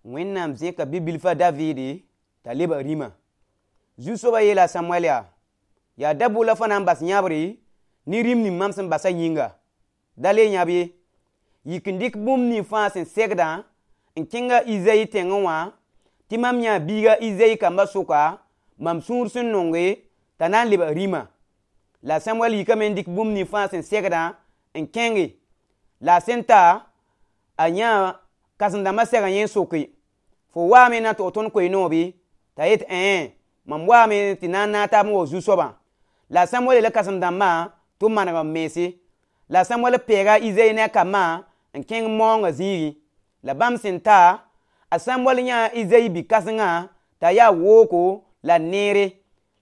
Wẽnnaam zẽka bi-bilf a Davidi t'a lebg rĩma. Zu-soabã yeela a Samuɛl yaa: Yaa daboo la fo na n bas yãbre ne rĩm ning mam sẽn basa yĩnga. Da le yãb ye. Yik n dɩk bũmb ning fãa sẽn segdã n kẽng a Izayi tẽngẽ wã tɩ mam yãa biiga Izayi kambã sʋka mam sũur sẽn nonge t'a na n lebg rĩma. La a Samuɛl yikame n dɩk bũmb ning fãa sẽn segdã n kẽnge. La a sẽn ta, a yãa kãsem-dãmbã sɛga yẽ n soke: Fo waame na tog tõnd koe-noog bɩ? T'a yet ẽe, mam waame tɩ na n naag taab n wao zu-soabã. La a Samuɛl yeela kãsem-dãmbã tɩ b maneg b mense. La a Samuɛl pɛɛga a Izayi ne a kambã n kẽng maoongã zĩigẽ. La bãmb sẽn ta, a Samuɛl yãa Izayi bi-kãsengã t'a yaa wooko la neere.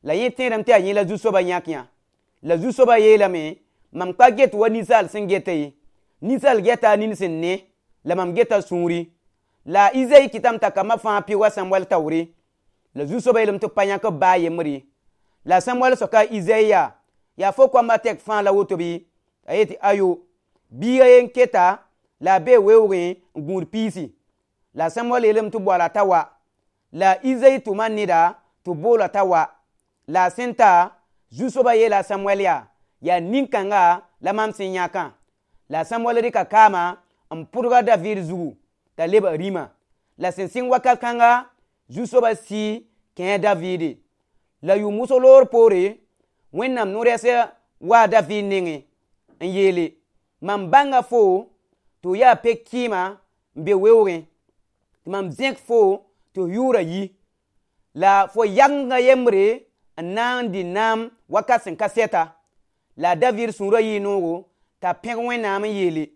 La yẽ tẽedame tɩ yaa yẽ la zu-soabã yãk yã. La zu-soabã yeelame: Mam ka get wa ninsaal sẽn geta ye. Ninsaal geta a nin sẽn ne, la mam geta sũuri. La a Izayi kɩtame t'a kambã fãa pɩʋʋg a Samuɛl taoore. La zu-soabã yeelame tɩ b pa yãk b baa yembr ye. La a Samuɛl soka a Izayi yaa: Yaa fo koamba tɛk fãa la woto bɩ? A yet tɩ ayo. Biiga ye n keta la a bee weoogẽ n gũud piisi. La a Samuɛl yeelame tɩ b boala t'a wa. La a Izayi tʋma neda tɩ b boola t'a wa. La a sẽn ta, zu-soabã yeela a Samuɛl yaa: Yaa nin-kãnga la mam sẽn yãkã. La a Samuɛl rɩka kaama n pʋdg a David zugu t'a lebg rĩma. La sẽn sɩng wakat kãnga, zu-soabã sɩ kẽ a Davide. La yʋʋm wʋsg loor poore, Wẽnnaam no-rɛɛs waa a David nengẽ n yeele: Mam bãnga fo tɩ f yaa pe-kɩɩma n be weoogẽ, tɩ mam zẽk fo tɩ f yʋʋra yi. La fo yagengã yembre n na n dɩ naam wakat sẽn ka sɛta. La a David sũurã yɩɩ noogo t'a pẽg Wẽnnaam n yeele: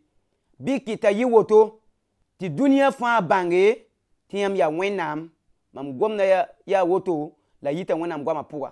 Bɩ kɩt t'a yɩ woto tɩ dũniyã fãa bãnge tɩ yãmb yaa Wẽnnaam. Mam gomda yaa woto la yita Wẽnnaam goamã pʋga.